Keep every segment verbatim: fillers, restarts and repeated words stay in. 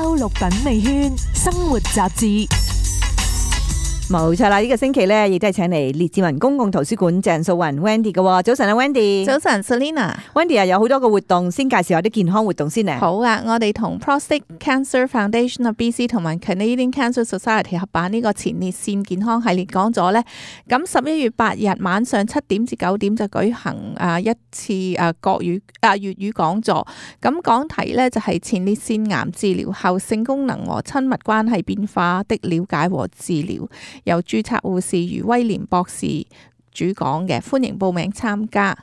周六品味圈生活雜誌。冇錯啦，呢、這個星期咧亦都係請嚟列治文公共圖書館鄭素雲 Wendy 嘅。早晨啊 Wendy。早晨 Selina。Wendy 啊，有好多個活動，先介紹下啲健康活動先咧。好啊，我哋同 Prostate Cancer Foundation of B C 同埋 Canadian Cancer Society 合辦呢個前列腺健康系列講座咧。咁十一月八日晚上七點至九點就舉行啊一次啊國語啊粵語講座。咁講題咧就係前列腺癌治療後性功能和親密關係變化的了解和治療。由註冊護士余威廉博士主講嘅，歡迎報名參加。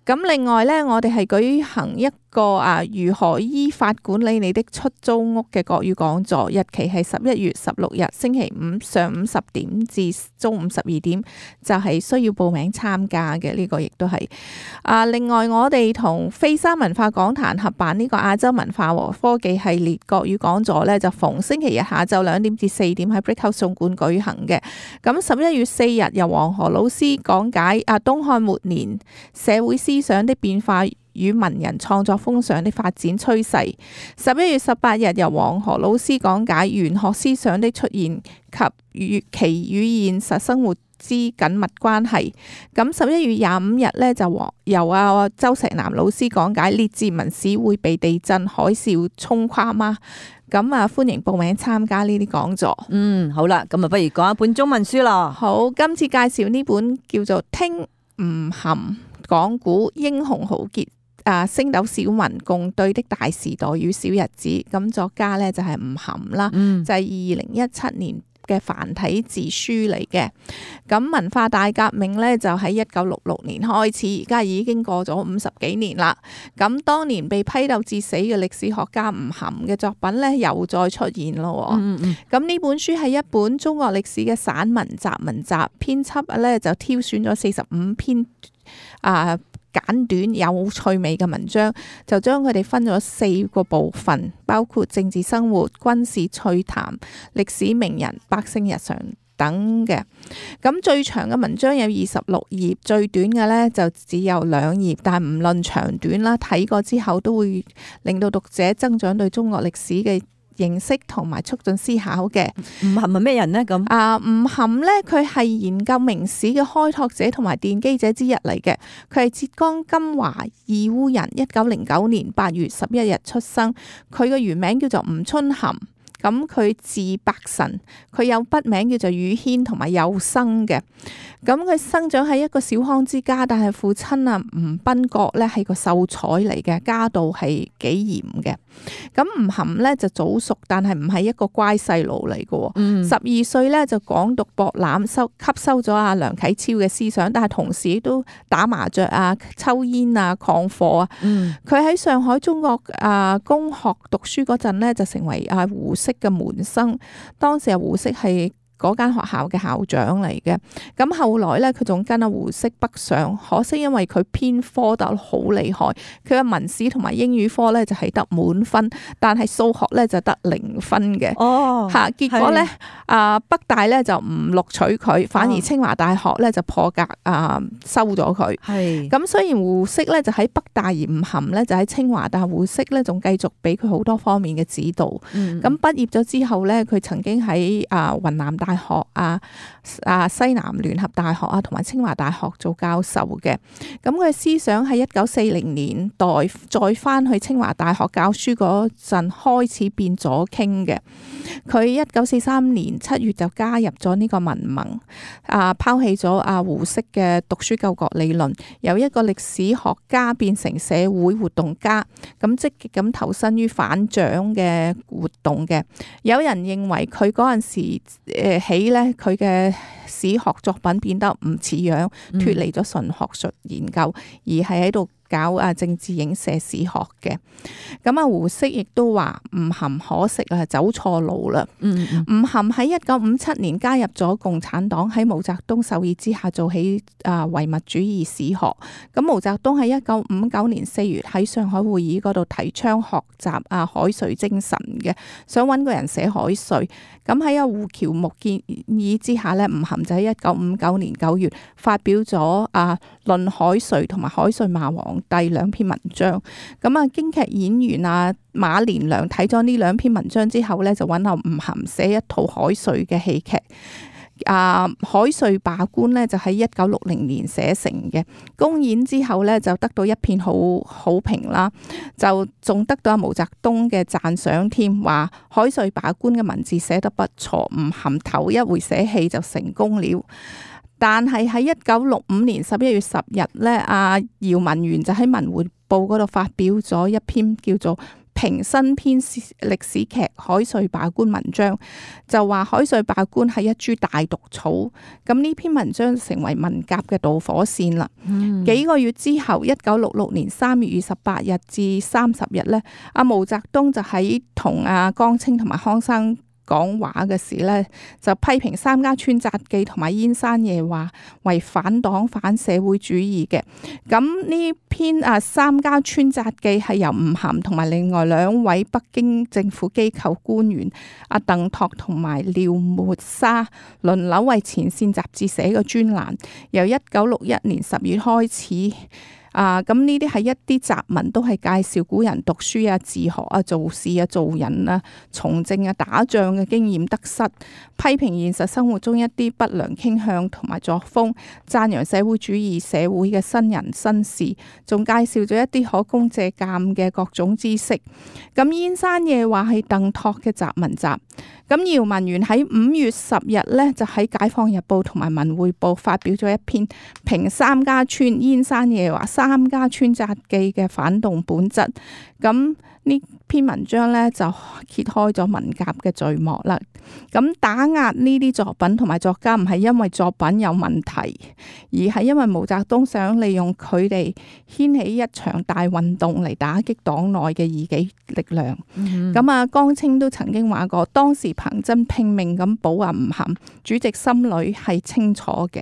咁另外咧，我哋係舉行一個啊如何依法管理你的出租屋嘅國語講座，日期係十一月十六日星期五上午十點至中午十二點，就係需要報名參加嘅。呢個亦都係啊。另外，我哋同飛沙文化講壇合辦呢個亞洲文化和科技系列國語講座咧，就逢星期日下晝兩點至四點喺 Brickhouse 總館舉行嘅。咁十一月四日由黃河老師講解啊東漢末年社會思想的變化與文人創作風尚的發展趨勢。十一月十八日由黃河老師講解玄學思想的出現及與其與現實生活之緊密關係。咁十一月廿五日呢，就由阿周石南老師講解列治文市會被地震海嘯沖垮嗎？咁啊，歡迎報名參加呢啲講座。嗯，好啦，咁啊，不如講一本中文書咯。好，今次介紹呢本叫做《聽吳晗講古英雄豪傑》。啊！星斗小民共對的大時代與小日子，咁作家咧就係吳晗啦，嗯、就係二零一七年嘅繁體字書嚟嘅。咁文化大革命咧就喺一九六六年開始，而家已經過咗五十幾年啦。咁當年被批鬥致死嘅歷史學家吳晗嘅作品咧又再出現咯。咁呢、嗯嗯、本書係一本中國歷史嘅散文集文集，編輯咧就挑選咗四十五篇啊。簡短有趣味嘅文章，就將佢哋分咗四個部分，包括政治生活、軍事趣談、歷史名人、百姓日常等嘅。咁最長嘅文章有二十六頁，最短嘅呢就只有兩頁。但係唔論長短啦，睇過之後都會令到讀者增長對中國歷史嘅認識同埋促進思考嘅。吳晗係咩人呢？咁啊，吳晗呢，佢係研究明史嘅開拓者同埋奠基者之一嚟嘅。佢係浙江金華義烏人，一九零九年八月十一日出生。佢嘅原名叫做吳春晗。咁佢字伯臣，佢有筆名叫做宇軒同埋幼生嘅。咁佢生長喺一個小康之家，但係父親啊吳賓國咧係個秀才嚟嘅，家道係幾嚴嘅。咁吳晗咧就早熟，但係唔係一個乖細路嚟嘅。十二歲咧就廣讀博覽，收吸收咗阿梁啟超嘅思想，但係同時都打麻雀啊、抽煙啊、曠課啊。佢喺、嗯、上海中國啊公學讀書嗰陣咧，就成為阿胡適嘅門生。當時阿胡適係嗰間學校嘅校長嚟嘅。咁後來咧，佢仲跟阿胡適北上，可惜因為佢偏科得好厲害，佢嘅文史同埋英語科咧就係得滿分，但係數學咧就得零分嘅。哦，吓結果咧，啊是北大咧就唔錄取佢，反而清華大學咧就破格啊收咗佢。係咁是，雖然胡適咧就喺北大，而吳晗咧就喺清華，但係胡適咧仲繼續俾佢好多方面嘅指導。咁畢、嗯、業咗之後咧，佢曾經喺啊雲南大學啊啊西南聯合大學啊同埋清華大學做教授嘅。咁佢思想喺一九四零年代再翻去清華大學教書嗰陣開始變左傾嘅。佢一九四三年七月就加入咗呢個民盟，啊拋棄咗阿胡適嘅讀書救國理論，由一個歷史學家變成社會活動家，咁積極咁投身於反蔣嘅活動嘅。有人認為佢嗰陣時誒起咧，佢嘅史學作品變得唔似樣，脫離咗純學術研究，而係喺度搞啊政治影射史學嘅。咁啊胡適亦都話吳晗可惜啊走錯路啦。嗯嗯吳晗喺一九五七年加入咗共產黨，喺毛澤東授意之下做起啊唯物主義史學。咁毛澤東喺一九五九年四月喺上海會議嗰度提倡學習啊海瑞精神嘅，想揾個人寫海瑞。咁喺阿胡喬木建議之下咧，吳晗就喺一九五九年九月發表咗啊論海瑞同埋海瑞罵王皇帝》兩篇文章。咁啊，京劇演員啊馬連良睇咗呢兩篇文章之後咧，就揾阿吳晗寫一套海瑞嘅戲劇。啊，海瑞罷官咧就喺一九六零年寫成嘅，公演之後咧就得到一片好好評啦，就仲得到阿毛澤東嘅讚賞添，話海瑞罷官嘅文字寫得不錯，吳晗頭一回寫戲就成功了。但係喺一九六五年十一月十日咧，阿姚文元就喺《文匯報》嗰度發表咗一篇叫做評新編歷史劇《海瑞罷官》文章，就話海瑞罷官係一株大毒草。咁呢篇文章成為文革嘅導火線啦。嗯、幾個月之後，一九六六年三月二十八日至三十日咧，阿毛澤東就喺同阿江青同埋康生講話嘅時咧，就批評《三家村札記》同埋《燕山夜話》為反黨反社會主義嘅。咁呢篇啊《三家村札記》係由吳晗同埋另外兩位北京政府機構官員阿鄧拓同埋廖沫沙輪流為前線雜誌寫嘅專欄，由一九六一年十月開始。啊，咁呢啲係一啲雜文，都係介紹古人讀書啊、自學啊、做事啊、做人啊、從政啊、打仗嘅經驗得失，批評現實生活中一啲不良傾向同埋作風，讚揚社會主義社會嘅新人新事，仲介紹咗一啲可供借鑑嘅各種知識。咁燕山夜話係鄧拓嘅雜文集。咁姚文元喺五月十日咧，就喺《解放日報》同埋《文匯報》發表咗一篇評三家村燕山夜話三家村札記嘅反動本質。咁呢篇文章咧就揭開咗文革嘅序幕啦。咁打壓呢啲作品同埋作家唔係因為作品有問題，而係因為毛澤東想利用佢哋掀起一場大運動嚟打擊黨內嘅異己力量。咁啊、嗯，江青都曾經話過，當時彭真拼命咁保阿吳晗，主席心裏係清楚嘅。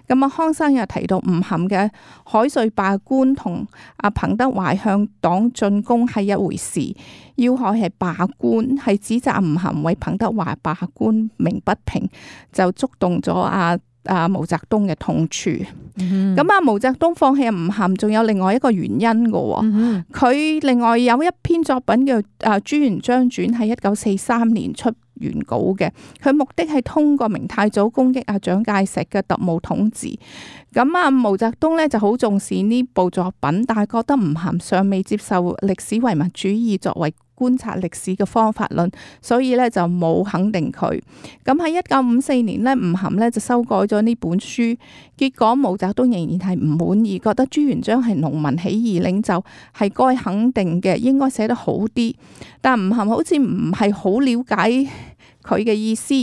咁啊，康生又提到吳晗嘅海瑞罷官同阿彭德懷向黨進攻係一回事，要害係罷官，係指責吳晗為彭德懷罷官鳴不平，就觸動咗阿阿毛澤東嘅痛處。咁啊、嗯，毛澤東放棄阿吳晗，仲有另外一個原因嘅。佢、嗯、哼另外有一篇作品叫《啊朱元璋傳》，喺一九四三年出原稿嘅，佢目的係通過明太祖攻擊阿蔣介石嘅特務統治。咁啊，毛澤東咧就好重視呢部作品，但係覺得吳晗尚未接受歷史唯物主義作為觀察歷史嘅方法論，所以咧就冇肯定佢。咁喺一九五四年咧，吳晗咧就修改咗呢本書，結果毛澤東仍然係唔滿意，覺得朱元璋係農民起義領袖，係該肯定嘅，應該寫得好啲。但吳晗好似唔係好了解佢嘅意思。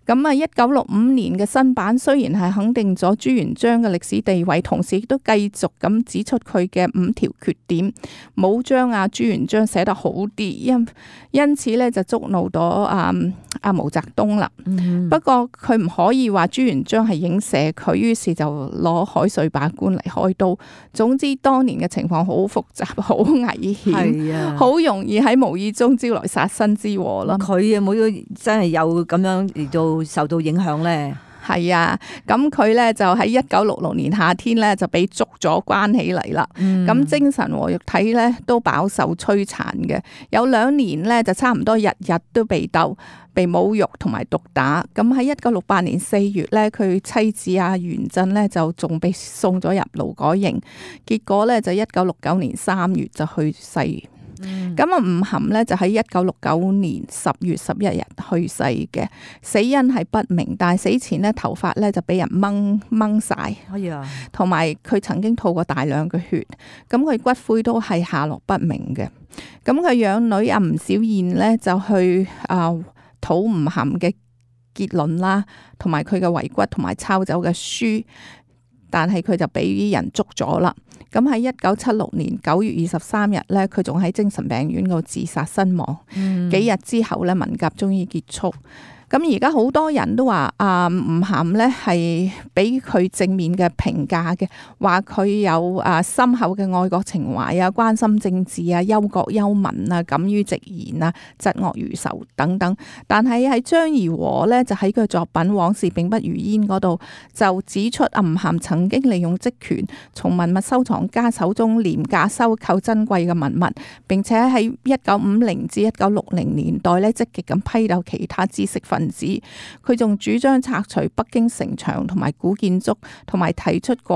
咁啊，一九六五年嘅新版雖然係肯定咗朱元璋嘅歷史地位，同時亦都繼續咁指出佢嘅五條缺點，冇將阿朱元璋寫得好啲，因因此咧就觸怒咗阿阿毛澤東啦。嗯、不過佢唔可以話朱元璋係影射佢，於是就攞海瑞罷官嚟開刀。總之當年嘅情況好複雜，好危險，好、啊、容易喺無意中招來殺身之禍啦。佢有冇真係有咁樣嚟到受到影響咧？係啊，咁佢咧就喺一九六六年夏天咧就俾捉咗關起嚟啦。咁、嗯、精神和肉體咧都飽受摧殘嘅，有兩年咧就差唔多日日都被鬥、被侮辱同埋毒打。咁喺一九六八年四月咧，佢妻子阿元振咧就仲被送咗入勞改營，結果咧就一九六九年三月就去世。咁啊，吳晗咧就喺一九六九年十月十一日去世嘅，死因係不明，但係死前咧頭髮咧就俾人掹掹晒，同埋佢曾經吐過大量嘅血，咁佢骨灰都係下落不明嘅。咁佢養女阿吳小燕咧就去啊討吳晗嘅結論啦，同埋佢嘅遺骨同埋抄走嘅書，但係佢就俾人捉咗啦。咁喺一九七六年九月二十三日咧，佢仲喺精神病院度自殺身亡。嗯、幾日之後咧，文革終於結束。咁而家好多人都話啊，吳晗咧係俾佢正面嘅評價嘅，話佢有啊深厚嘅愛國情懷啊、關心政治啊、憂國憂民啊、敢於直言啊、疾惡如仇等等。但係喺張怡和咧就喺佢作品《往事並不如煙》嗰度就指出，吳晗曾經利用職權從文物收藏家手中廉價收購珍貴嘅文物，並且喺一九五零至一九六零年代咧積極咁批鬥其他知識分子。佢仲主張拆除北京城牆同埋古建築，同埋提出改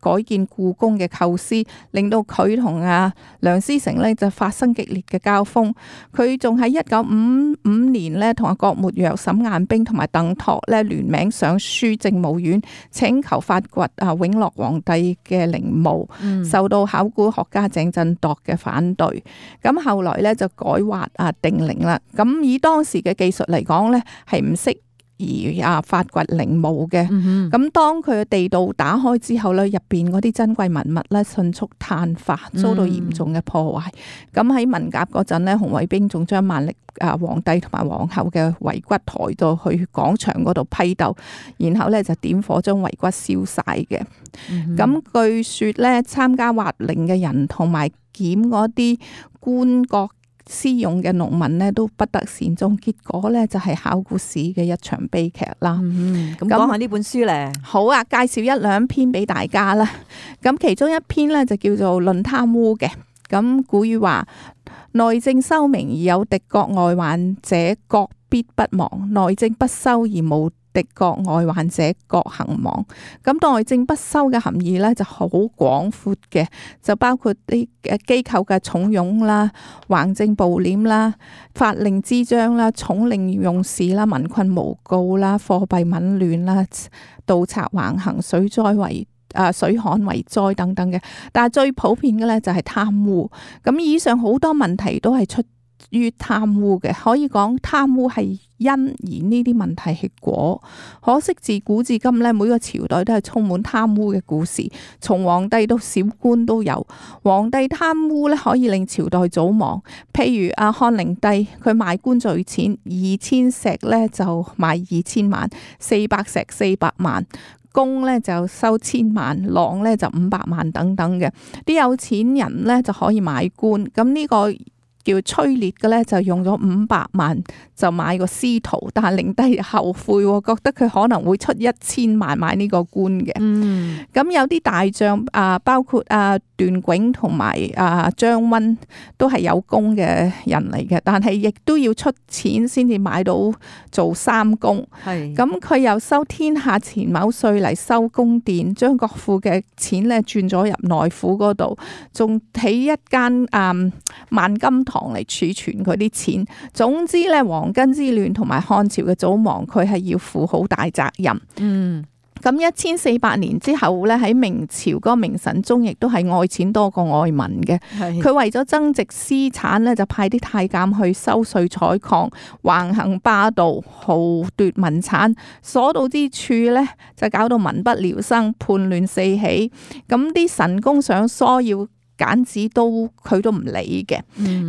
改建故宮嘅構思，令到佢同阿梁思成咧就發生激烈嘅交鋒。佢仲喺一九五五年咧同阿郭沫若、沈雁冰同埋鄧拓咧聯名上書政務院，請求發掘啊永樂皇帝嘅陵墓，嗯、受到考古學家鄭振鐸嘅反對。咁後來咧就改劃啊定陵啦。咁以當時嘅技術嚟講咧，係唔適而啊發掘陵墓嘅。咁、嗯、哼當佢嘅地道打開之後咧，入邊嗰啲珍貴文物咧迅速碳化，遭到嚴重嘅破壞。咁喺、嗯、文革嗰陣咧，紅衛兵仲將萬曆啊皇帝同埋皇后嘅遺骨抬到去廣場嗰度批鬥，然後咧就點火將遺骨燒晒嘅。咁、嗯、哼據說咧，參加挖陵嘅人同埋檢嗰啲官國私用嘅農民呢都不得善終，結果呢就係考古史嘅一場悲劇啦。咁講下呢本書咧，好啊，介紹一兩篇俾大家啦。咁其中一篇呢就叫做《論貪污》嘅。咁古語話：內政修明而有敵國外患者，國必不亡；內政不修而無敵國外患者，國行亡。咁內政不修嘅含義咧就好廣闊嘅，就包括啲誒機構嘅重用啦、橫徵暴斂啦、法令滋章啦、寵令用事啦、民困無告啦、貨幣紊亂啦、盜賊橫行、水災為啊水旱為災等等嘅。但係最普遍嘅咧就係貪污。咁以上好多問題都係出於貪污嘅，可以講貪污係因，而呢啲問題係果。可惜自古至今咧，每個朝代都係充滿貪污嘅故事，從皇帝到小官都有。皇帝貪污咧，可以令朝代早亡。譬如阿漢靈帝，佢賣官鋤錢，二千石咧就賣二千萬，四百石四百萬。公咧就收千萬，郎咧就五百萬等等嘅。啲有錢人咧就可以買官，咁呢個叫崔烈嘅咧就用咗五百萬就買個司徒，但係靈帝後悔，覺得佢可能會出一千萬買呢個官嘅。嗯，咁有啲大將啊，包括啊段炯同埋啊張溫都係有功嘅人嚟嘅，但係亦都要出錢先至買到做三公。係，咁佢又收天下錢畝稅嚟收宮殿，將國庫嘅錢咧轉咗入內府嗰度，仲起一間啊萬金堂嚟儲存佢啲錢。總之咧，黃巾之亂同埋漢朝嘅早亡，佢係要負好大責任。嗯，咁一千四百年之後咧，喺明朝嗰個明神宗亦都係愛錢多過愛民嘅。佢是為咗增值私產咧，就派啲太監去收稅採礦，橫行霸道，豪奪民產，所到之處咧就搞到民不聊生，叛亂四起。咁啲神功想疏要揀子都佢都唔理嘅，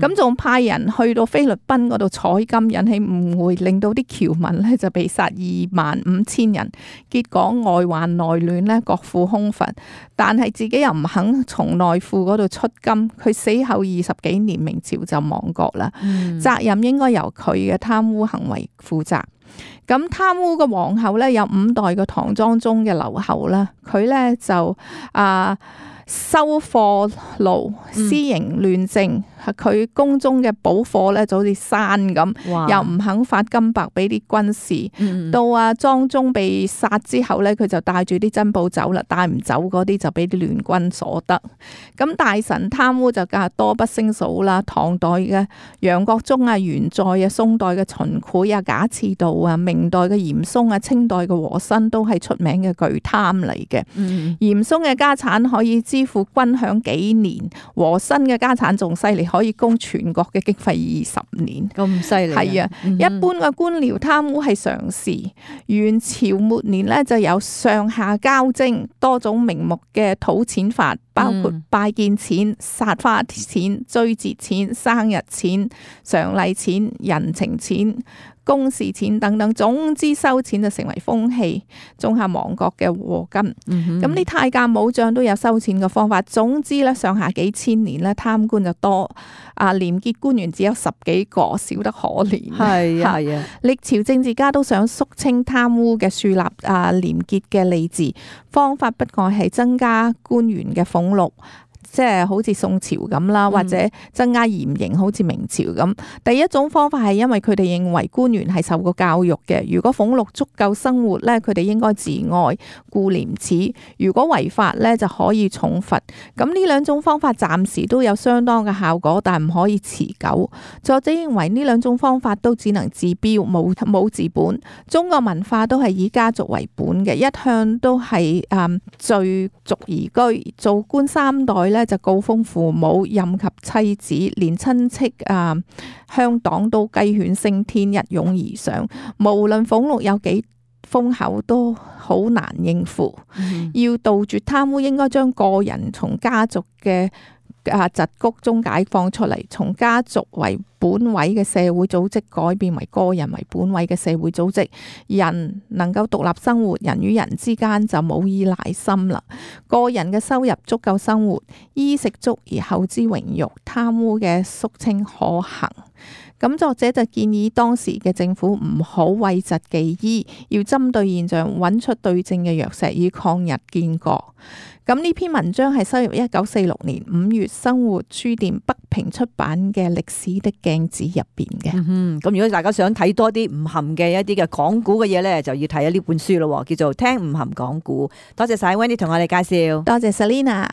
咁仲、嗯、派人去到菲律賓嗰度採金，引起誤會，令到啲僑民咧就被殺二萬五千人，結果外患內亂咧，國庫空乏，但係自己又唔肯從內庫嗰度出金，佢死後二十幾年，明朝就亡國啦。嗯、責任應該由佢嘅貪污行為負責。咁貪污嘅皇后咧，有五代嘅唐莊宗嘅劉后啦，佢咧就啊。收貨奴、私刑亂政，佢宮中嘅寶貨咧就好似山咁，哇又唔肯發金帛俾啲軍士。嗯、到阿莊宗被殺之後咧，佢就帶住啲珍寶走啦，帶唔走嗰啲就俾啲聯軍所得。咁大臣貪污就梗係多不勝數啦。唐代嘅楊國忠啊、元載啊、宋代嘅秦檜啊、賈賜道啊、明代嘅嚴嵩啊、清代嘅和珅都係出名嘅巨貪嚟嘅。嗯、嚴嵩嘅家產可以支付軍餉幾年，和珅嘅家產仲犀利，可以供全國嘅經費二十年。咁犀利係啊！嗯、哼一般嘅官僚貪污係常事。元朝末年咧就有上下交徵多種名目嘅討錢法，包括拜見錢、撒花錢、追節錢、生日錢、常例錢、人情錢。工時錢等等，總之收錢就成為風氣，種下亡國嘅禍根。咁啲、嗯、太監武將都有收錢嘅方法。總之咧，上下幾千年咧，貪官就多，啊廉潔官員只有十幾個，少得可憐。係啊係啊，歷朝政治家都想肅清貪污嘅，樹立啊廉潔嘅吏治，方法不外係增加官員嘅俸祿。即係好似宋朝咁啦，或者增加嚴刑，好似明朝咁。第一種方法係因為佢哋認為官員係受過教育嘅，如果俸祿足夠生活咧，佢哋應該自愛顧廉恥；如果違法咧，就可以重罰。咁呢兩種方法暫時都有相當嘅效果，但唔可以持久。作者認為呢兩種方法都只能治標，冇冇治本。中國文化都係以家族為本嘅，一向都係誒聚族而居，做官三代咧，就告封父母，任及妻子，連親戚啊、鄉黨都雞犬升天，一擁而上。無論俸祿有幾豐厚，都好難應付。嗯、要杜絕貪污，應該將個人從家族嘅啊桎梏中解放出嚟，從家族為本位嘅社會組織改變為個人為本位嘅社會組織，人能夠獨立生活，人與人之間就冇依賴心啦。個人嘅收入足夠生活，衣食足而後知榮辱，貪污嘅肅清可行。咁作者就建議當時嘅政府唔好諱疾忌醫，要針對現象揾出對症嘅藥石，以抗日建國。咁呢篇文章係收入一九四六年五月生活書店北平出版嘅歷史的鏡子入邊嘅。嗯，咁如果大家想睇多啲吳晗嘅一啲嘅講古嘅嘢咧，就要睇下呢本書咯，叫做聽吳晗講古。多謝晒 Wendy 同我哋介紹，多謝 Selina。